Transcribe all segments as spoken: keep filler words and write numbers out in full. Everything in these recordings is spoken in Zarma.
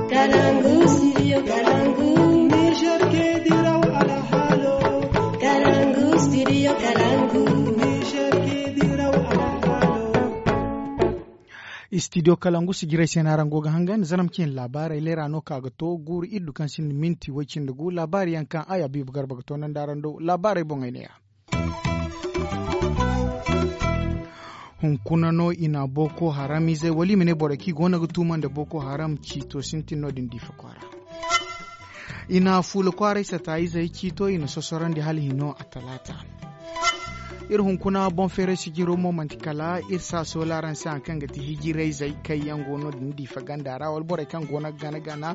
Kalangu, studio Kalangu. Niger ke diraw alhalo. Kalangu, studio Kalangu. Niger ke diraw alhalo. Studio Kalangu si jiray se no araŋ go ga hangan zaram cine laabaarey leera no ka ga to guuru iddu kaŋ sinda minti way cindi gu laabaari yaŋ kaŋ ay abiibu garba ga toonandi araŋ do laabaarey boŋey ne ya. Hunkuna no i na boko haram izey wala i ma ne borey kaŋ i go no ga tuuma nda boko haram ciito sintin no- din diifa kwaara. I na fuula kwaaray sata izey ciito i na sosorandi hala hino a talaata. Iri hunkuna boŋ feeray sijiro mo manti kala iri saaso laaraŋ se hari kaŋ ga ti hijirayzey kaŋ yaŋ go no- din diifa ganda ra wala borey kaŋ go no ga gana gana.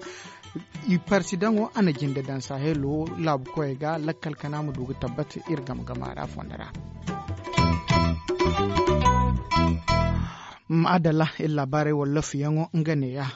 I parsidaŋo a na jinde daŋ sahelo laabu koyey ga lakkal kana ma du ga tabbata iri game gama ra fondo ra. Ma'adalla iri laabaarey wala lafuyaŋo nga neeya.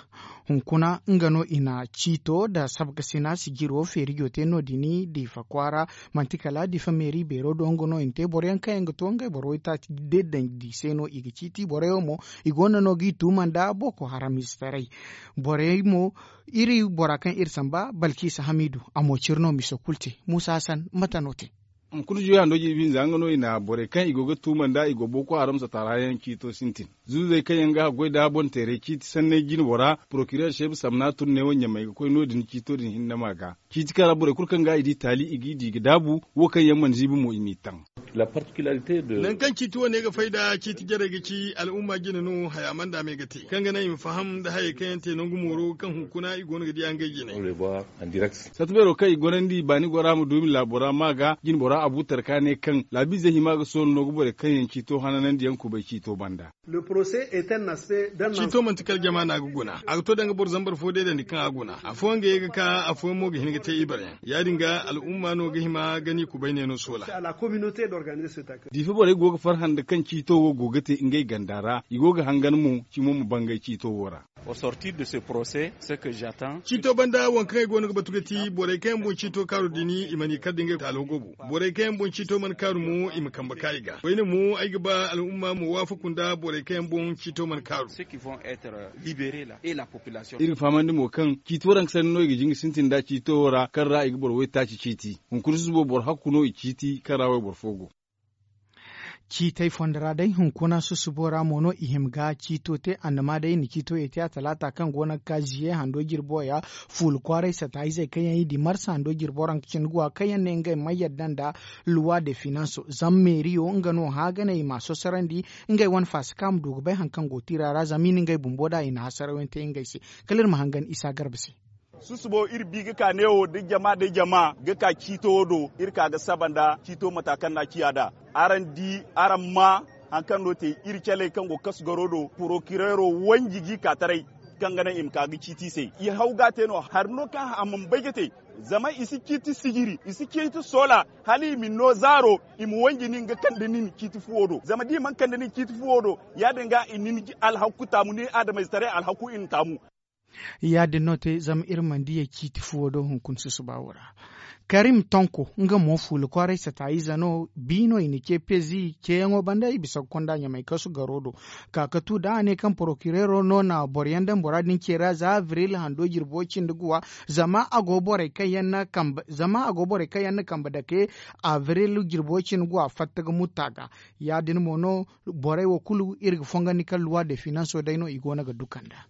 Hunkuna nga no i na ciito nda sabkasina sijiro feerijo te no- din diifa kwaara. Manti kala diifa meeri beero do nga no i na te boro yaŋ kaŋ yaŋ ga to ngey boro waytaaci deedandi se no i ga ciiti borey wo mo i go no no ga i tuuma nda boko haram ize taray. Borey mo iri bora kaŋ iri samba balkisa hamidu a mo ciri no miso kulu te. Muusa hasan mate no te? Hunkuna juya hando jirbi hinza nga no i na borey kaŋ i go ga tuuma nda i go boko haram sataara yaŋ ciito sintin. Zuuzey kaŋ yaŋ ga haggoy nda boŋ teeray ciiti sanney jinbo ra porokireer seebu samna tun ne wo ɲamey ga koy no- din ciito din hinne ma ga ciiti kaŋ ra borey kulu kaŋ ga i di taali i g'i di ga daabu. Wo kaŋ yaŋ mana ziibi mo i m'i taŋ. Nangu kaŋ ciiti wane ga fay nda ciiti jarey ga ci al'umma jine no haya mana daama i ga te kaŋ ga naŋ i ma faham nda hayey kaŋ yaŋ te nangu mooro kaŋ hunkuna i go no ga diya ngey jine. Satta beero kaŋ i gorandi baani gora ma du i ma laabo ra ma ga jine bora abu tarka ne kaŋ laabiizey hima ga soona no ga borey kaŋ yaŋ ciito hananandi yaŋ kubay ciito banda. Ciito manti kala jama no a ga guna a ga to danga boro zambar fo deedandi kaŋ a guna afooyaŋ ga ye ga ka afooyaŋ mo ga hin ga te ibareyaŋ ya- din ga al'umma no ga hima ga ni kubay ne no soola. Diifa borey go ga farhã nda kaŋ ciito wo go ga te ngey ganda ra i go ga hangan mo cimo ma bangay ciito wo ra. Ciito banda waŋ kaŋ ay go no ga batu ga ti borey kaŋ yaŋ boŋ ciito kaaru din i mana i kar da ngey taalo gobu. Borey kaŋ yaŋ boŋ ciito mana kaaru mo i ma kambe ka i ga koyne mo ay ga ba al'umma ma waafaku nda borey kaŋ yaŋ boŋ ciito mana kaaru. Iri ga fahamandi mo kaŋ ciiti waranka sanni no i ga jin ga sintin nd'a ciito wo ra kaŋ ra i ga boro waytaaci ciiti. Hunkuna susubo boro hakku no i ciiti kaŋ ra wayboro fo go. Ciitey fondo ra day hunkuna susubo ra mo no i hima ga ciito te annama day i na ciito ye te a talaata kaŋ go no ga ka ziye hando jirbo ya. Fuula kwaaray sata izey kaŋ yaŋ i di marsa hando jirbo ra nga cindi guwa kaŋ yaŋ ne ngey mana yadda nda luwa de finanso zama meeriyo nga no hã ga ne i m'a sosarandi. Ngey wane faasa kaŋ a ma du ga bay hari kaŋ go tiira ra zama i na ngey bumbo nd'a i na hasaraw yaŋ te ngey se. Kala iri ma hangan isa garba se. Susubo iri bi ga ka neewo da jama da jama ga ka ciito wo do iri ka ga saba nda ciito mata kaŋ no a ciya nd'a. Araŋ di araŋ ma hari kaŋ no te iri caley kaŋ go kasu garo do porokireero wanji g'i ka taray kaŋ ga naŋ i ma ka ga ciiti i se i haw ga a te no hari no kaŋ a mana bay ga te. Zama i si ciiti sijiri i si ciiti soola hala i ma ni no zaaro i ma wanji nin ga kande nin ciiti fuwo do zama da i mana kande nin ciiti fuwo do ya- din ga i na ni alhaku taamu ni adamayzetaray alhaku i na taamu. Ya- din no te zama iri mana diya ciiti fuwo do hunkuna susuba wo ra. Karim tonko nga mo fuula kwaaray sata ize no bi no i na ce pezi ceeyaŋo banda i bisa ga konda ɲamay kasu garo do. Ka ga tu da a ne kaŋ porokireero no na boro yaŋ daŋ bora din ce ra za abril hando jirbo cindi guwa zama a go borey kaŋ yaŋ na kambe dake abril jirbo cindi guwa fatta ga mutta ga. Ya- din mo no borey wo kulu iri ga fongandi kaŋ luwa de finanso day no i go no ga duka nda.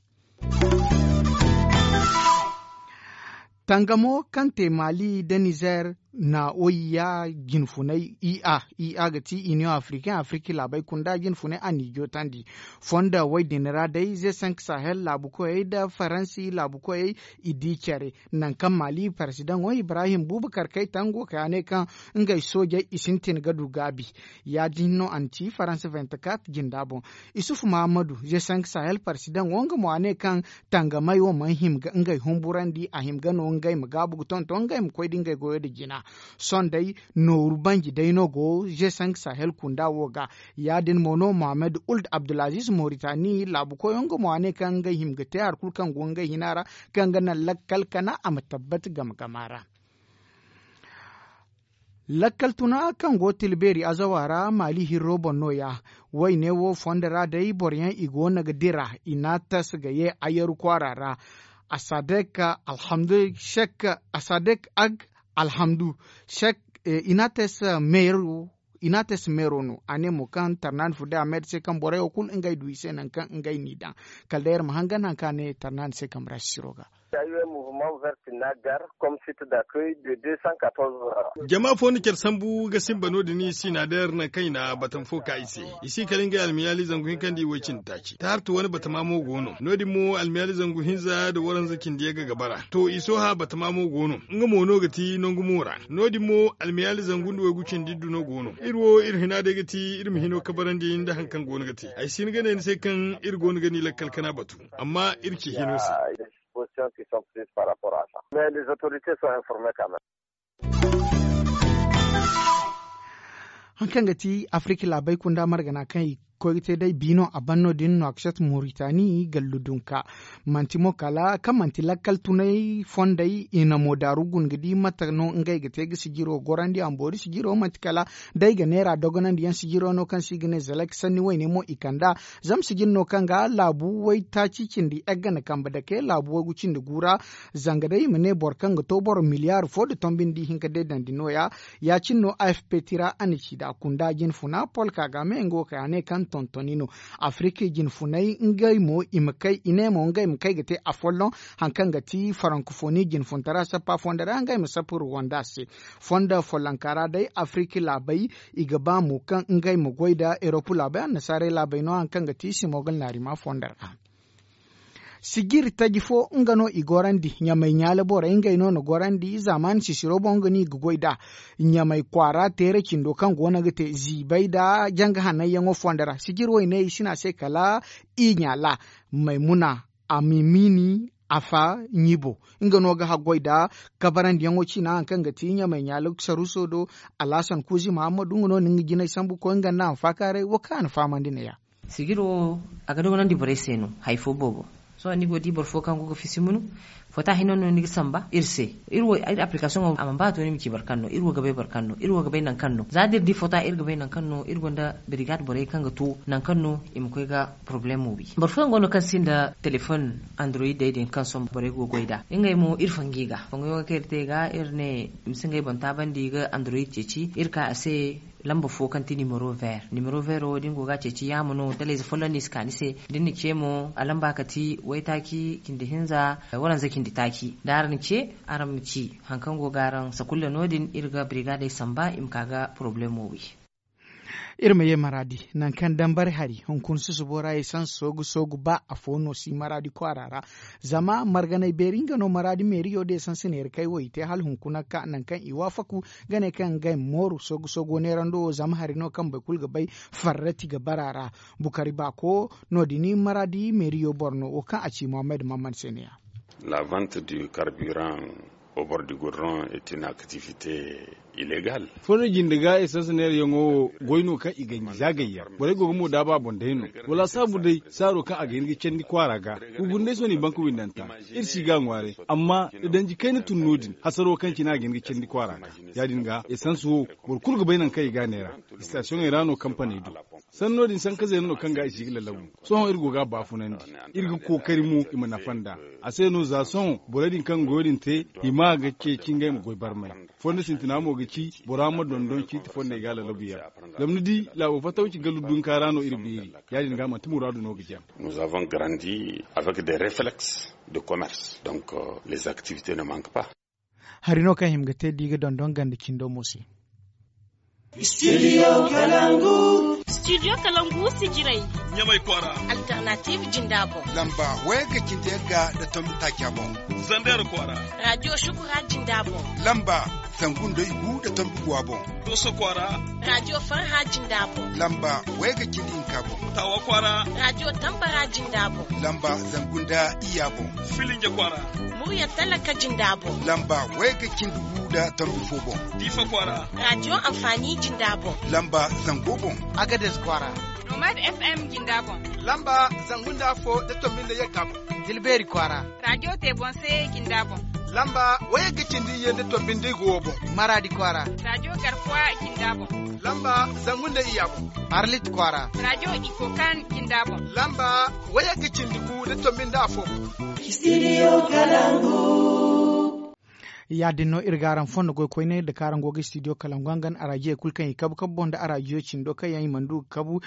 Tangamo kaŋ te mali nda nizer na oyiya jinfunay ia ia ga ti union africain afriki laabey kunda jinfunay a n'i jootandi. Fonda wey din ra day ze cinq sahel laabu koyey nda faransi laabu koyey i di care. Nangu kaŋ mali parsidaŋo ibrahim bubakar kay tango ka ya ne kaŋ ngey soojey i sintin ga du gaabi. Ya- din no a na ci faransa vingt-quatre jinda boŋ. Isufu mahamadu ze cinq sahel parsidaŋo nga mo a ne kaŋ tangamey wo mana hima ga ngey humburandi a hima ga no ngey ma gaabu ga tonton ngey ma koy da ngey goyo nda jina. Sohõ day nooru banji day no go ze cinq sahel kunda wo ga. Ya- din mo no mohammed uld abdulaziz moritani laabu koyo nga mo a ne kaŋ ngey hima ga te hari kulu kaŋ go ngey hina ra kaŋ ga naŋ lakkal kana a ma tabbati game gama ra. Lakkal tuna kaŋ go tilbeeri azawa ra maali hirro boŋ no- ya. Wayne wo fondo ra day boro yaŋ i go no ga dira i n'a tas ga ye ayaru kwaara ra. Asadek alhamdu, sek asadek ag alhamdu, sek inates meero. Inates meero no a ne mo kaŋ tarnaani fu day a meeda se kaŋ borey wo kulu ngey du i se nangu kaŋ ngey n'i daŋ. Kala day iri ma hangan nangu kaŋ a ne tarnaani se kambe ra sisiro ga. Jama fo na care sambu ga simba no- din i si na day iri nangu kaŋ i na batama fo ka i se. I si kala ngey almiyaali zangu hinka nda i way cindi taaci taartu wane batama mo go no no- din mo almiyaali zangu hinza nda waranza cindi yagga ga bara to i sohã batama mo go no nga mo no ga ti nangu mo ra. No- din mo almiyaali zangu nda waygu cindi iddu no go no iri wo iri hina day ga ti iri ma hino kabarandi nda hari kaŋ go no ga te. Ay si hin ga ne ni se kaŋ iri go no ga ni lakkal kana batu amma iri ci hino se. Hari kaŋ ga ti afirika laabey kunda margana kaŋ i koy ga te day biino a ban no- din no a ga sat moritani gallu dunka. Manti mo kala kaŋ manti lakkal tunay fondey i na mo daaru guna ga di mate no ngey ga te ga sijiro gorandi a ma boori sijiro manti kala day ga neera dogonandi yaŋ sijiro no kaŋ se i ga ne zalak sanni wayne mo i kand'a. Zama sijin no kaŋ ga laabu waytaaci cindi egga na kambe dake laabu waygu cindi gu ra. Zanga day i ma ne boro kaŋ ga to boro miliyaari fo nda tombi nda ihinka deedandi nooya. Ya- cine no afp tira a na ci da kunda jinfuna polka ga me nga wo kay a ne kaŋ tontoni no. Afirika jinfunay ngey mo i ma kay i ne mo ngey ma kay ga te afolloŋ. Hari kaŋ ga ti farankofoni jinfuntara sappa fondo ra ngey ma sappa ruwanda se. Fondo follonka ra day afirika laabey i ga ba mo kaŋ ngey ma goy nda erop laabey annasaarey laabey no hari kaŋ ga ti simogal naarima fondo ra. Sijiri taji fo nga no i gorandi ɲamay ɲaala borey ngey no na gorandi zaamaani sisiro boŋ nga no i ga goy nd'a. Ɲamay kwaara teera cindo kaŋ go no ga te ziibay nda janga hananyaŋo fondo ra sijiri wayne i si ne a se kala i ɲaala maymuna a mimini afa ɲibo. Nga no ga haggoy nda kabarandiyaŋo ciina hari kaŋ ga ti ɲamay ɲaala saruuso do. Alhasan kuuzi mahammadu nga no na nga jinay sambu koy nga nda a ma faakaaray wo kaŋ a na fahamandi neeya. Sijiro wo a ga dogonandi borey se no hari fo boobo. Sohõ ni go ga di boro fo kaŋ go ga fisi munu fota hinne no ni ga samba iri se. Iri wo iri appilikasoŋo a mana ba a to ni ma ci boro kaŋ no iri wo ga bay boro kaŋ no iri wo ga bay nangu kaŋ no za da iri di fota iri ga bay nangu kaŋ no iri gonda birigaad borey kaŋ ga to nangu kaŋ no i ma koy ga porobalemo wi. Boro fooyaŋ go no kaŋ sinda telefoŋ andoroyidey din kaŋ sohõ borey go ga goy nd'a ngey mo iri fangay ga fangayo ga kaŋ iri te ga iri ne i ma si ngey boŋ taabandi ga andoroyid ceeci iri ka a se. Lamba fo kaŋ ti nimero ver nimero ver wo da ni go ga a ceeci yaama no dalayze folloŋ no i si ka ni se. Da ni na ce mo a lamba ka ti waytaaci cindi hinza waranza cindi taaci da araŋ na ce araŋ ma ci hari kaŋ go ga araŋ sakulla no- din iri ga birigaadey samba i ma ka ga porobalemo wi. Iri ma ye maraadi nangu kaŋ dambari hari hunkuna susubo ra essence soogu soogu ba afo no si maraadi kwaara ra. Zama marganay beeri nga no maraadi meeriyo da essence neera kay wo i te hala hunkuna ka nangu kaŋ i waafaku ga ne kaŋ ngey ma mooru soogu soogo neerando wo zama hari no kaŋ boro kulu ga bay farrati ga bara ra. Bukari baako no- din maraadi meeriyo boro no wo kaŋ a ci mohammed mammad se ne ya. La vente du carburant au bord du goudron est une activité illégale. Fondo jinde ga essence neerayaŋo wo goy no kaŋ i ganji za gayyaŋ borey go ga mo daaba a boŋ day no. Wala saabu day saaro kaŋ a ga hin ga candi kwaara ga. Gurgurndey sohõ i banka windanta iri si ga a ŋwaaray. Amma da danji kayna tun no- din hasaro kaŋ cine a ga hin ga candi kwaara ga. Ya- din ga essence wo boro kulu ga bay nangu kaŋ i ga a neera. Sitasiyoŋey ra no kampaney du. Sanno din sanka zeena no kaŋ ga i si ga lalabu. Sohõ iri go ga a baafunandi. Iri ga kookari mo i ma nafa nd'a. A se no za sohõ borey din kaŋ goyo din te i ma ga ceeci ngey ma goy barmay. Fondo sintina mo ga ci bora ma dondon ciiti fondey ga lalabu yaŋ. Zama ni di laabo fattawci gallu dunka ra no iri beeri. Ya- din ga manti muraadu no ga jaŋ. Nous avons grandi avec des réflexes de commerce donc les activités ne manquent pas. Hari no kaŋ hima ga te da i ga dondon ganda cindo mo se. Studio kalangu. Studio kalangu sijiray. Ɲamay kwaara. Alternative jinda boŋ. Lamba wayga cindi yagga da tombi taaca boŋ. Zander kwaara. Radio shukura jinda boŋ. Lamba zangu nda igu da tombi guwa boŋ. Doso kwaara. Radio farha jinda boŋ. Lamba wayga cindi hinka boŋ. Tawa kwaara. Radio tambara jinda boŋ. Lamba zangu nda iya boŋ. Filinja kwaara. Murya talaka jinda boŋ. Lamba wayga cindi gu da tombi fo boŋ. Diifa kwaara. Radio amfani jinda boŋ. Lamba zango boŋ. Agades kwaara. Nomad fm jinda boŋ. Lamba zangu nda afo da tombi nda yagga boŋ. Dilbeeri kwaara. Radio te boŋ se jinda boŋ. Lamba wayagga cindi iyye nda tombi nda igu wo boŋ. Maradi kwaara. Rajo garkuwa jinda boŋ. Lamba zangu nda iyya boŋ. Arlit kwaara. Rajo ikokan jinda boŋ. Lamba wayagga cindi gu nda tombi nda afo boŋ. Istidiyo kalangu. Ya- din no iri ga araŋ fondo goy koyne nda kaŋ araŋ go ga istidiyo kalangu hangan arajiyo kulu kaŋ i kabu kabu boŋ nda arajiyo cindo kaŋ yaŋ i mana du ga kabu.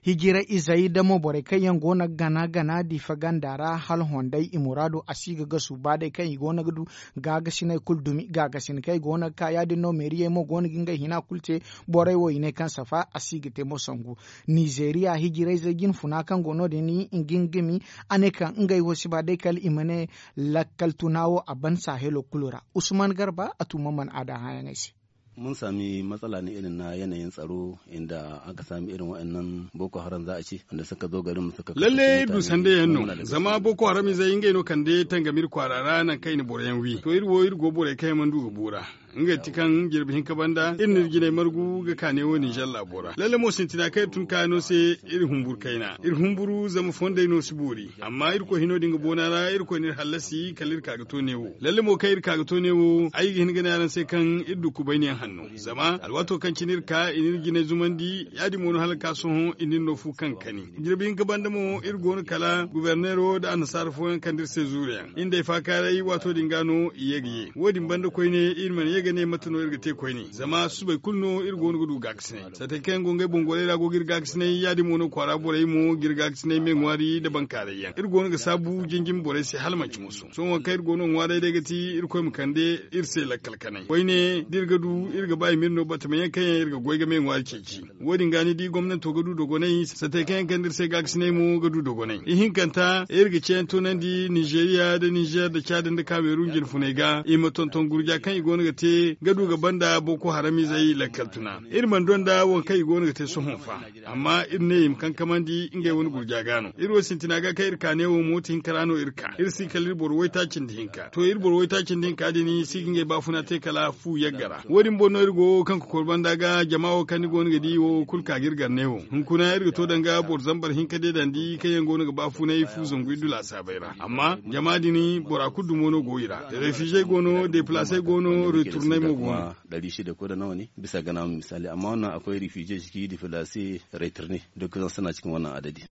Hijira izey da mo borey kaŋ yaŋ go no ga gana gana diifa ganda ra hala honday i muraado a si ga gasu ba day kaŋ i go no ga du gaagasiney kulu dumi gaagasin kaŋ i go no ga ka ya- din no meeriyey mo go no ga ngey hina kulu te. Borey wo i ne kaŋ safa a si ga te mo sangu. Nizeeriya hijirayzey jinfuna kaŋ go no- din i gingimi a ne kaŋ ngey wo si ba day kala i ma ne lakkal tuna wo a ban sahelo kulu ra. Usman garba a tuma mana a da hããyaŋey se. Mun saami matsala ne irin na yanayin tsaro inda aka saami irin waɗannan boko haram za a ce wanda suka zo garin mu suka lalle iri du sanda yaŋ no zama boko haram izey ngey no kande tangam iri kwaara ra nangu kaŋ i na boro yaŋ wi to iri wo iri go borey kaŋ yaŋ mana du ga buura. Nga ti kaŋ jirbi hinka banda iri na iri jinay margu ga kaane wo ninzeer laabo ra lalle mo sintina kaŋ iri tun kaano se. Iri humburu kayna iri humburu zama fondey no si boori. Amma irkoy hino din ga boona ra irkoy na iri hallasi kala iri ka ga to neewo lalle mo kaŋ iri ka ga to neewo ay ga hin ga ne araŋ se kaŋ iri du kubayniyaŋ hanno. Zama alwaato kaŋ cine iri ka i na iri jinay zumandi ya- din mo no hala ga ka sohõ i na iri no fu kaŋ ga kani. Jirbi hinka banda mo iri go no kala guberneero nda annasaara fooyaŋ kande iri se zuuruyaŋ iri nd'ey faakaaray waato din ga no i ye ga ye wo- din banda koyne iri mana ye ga ne mate no iri ga te koyne zama susubay kulu no iri go no ga du gaakasinay. Saatey kaŋ yaŋ go ngey boŋ gorey ra go ga iri gaakasinay ya- din mo no kwaara borey mo ga iri gaakasinay me ŋwaari nda bankaaray yaŋ iri go no ga saabu jinjin borey se hala manci musu sohõ kaŋ iri go no ŋwaaray day ga ti irkoy ma kande iri se lakkal kanay koyne da iri ga du iri ga ba i ma iri no batama yaŋ kaŋ yaŋ iri ga goy ga me ŋwaari ceeci. Wo- din ga ni di gomnanto ga du dogonay saatey kaŋ yaŋ kande iri se gaakasinay mo ga du dogonay ihinkanta iri ga ceeyaŋ toonandi nizeeriya nda nizeer nda caadi nda kaameerun jinfuney ga i ma tonton gurja kaŋ i go no ga te ga du ga banda boko haramizey lakkal tuna. Iri mana donda waŋ kaŋ i go no ga te sohõ fa. Amma iri ne i ma kankamandi ngey wane gurja ga no iri wo sintina ga kaŋ iri ka neewo mooti hinka ra no iri ka iri si kala iri boro waytaaci nda hinka to iri boro waytaaci nda hinka din si ga ngey baafuna te kala fu yagga ra wo- din boŋ no iri go kaŋ kokor banda ga jama wo kaŋ ni go no ga di wo kulu ka ga iri gar neewo hunkuna iri ga to danga boro zambar hinka deedandi kaŋ yaŋ go no ga baafunay fu zangu iddu laasaabay ra amma jama din bora kulu dumo no go i ra. Refize go no deplaase go no returnay mo go no. Dari shida ko da nawa ne bisa ga namu misali amma wannan akwai refize ciki deplaase returne duk zan suna cikin wannan adadi.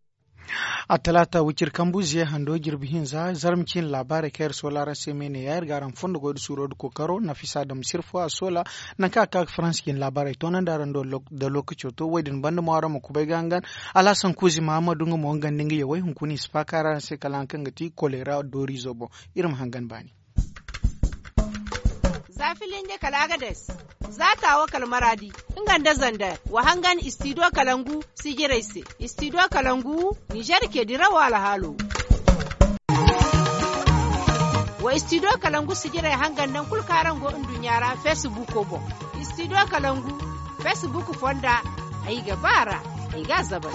A talaata wicir kambu ziye hando jirbi hinza zarma ciine laabaarey kaŋ iri soola araŋ se me ne ya iri ga araŋ fondo goy da suuro da kookaro nafisa dam sirfo a soola. Nangu kaŋ a ka ga faransa ciine laabaarey toonandi araŋ do da lookaco to wo- din banda mo araŋ ma kubay ga hangan. Alhasan kuuzi mahamadu nga mo nga nda nga yawey hunkuna i si faaka ra araŋ se kala hari kaŋ ga ti koleera dooriizo boŋ. Iri ma hangan baani. Za filinje kala agades za taawo kala maraadi nga nda zandar wa hangan istidiyo kalangu sijirey se. Istidiyo kalangu nizer ke dirawo alhaalo. Wa istidiyo kalangu sijirey hangan nangu kulu kaŋ araŋ go nduɲɲa ra feesibuuko boŋ. Istidiyo kalangu feesibuuko fonda ay ga ba a ra. Ay ga a zabal.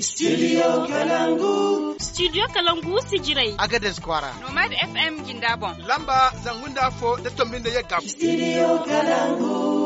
Studio Kalangu. Studio Kalangu sijirey. Agades kwaara. Nomad F M jinda boŋ. Lamba zangu nda afo da tombi nda yagga. Studio Kalangu.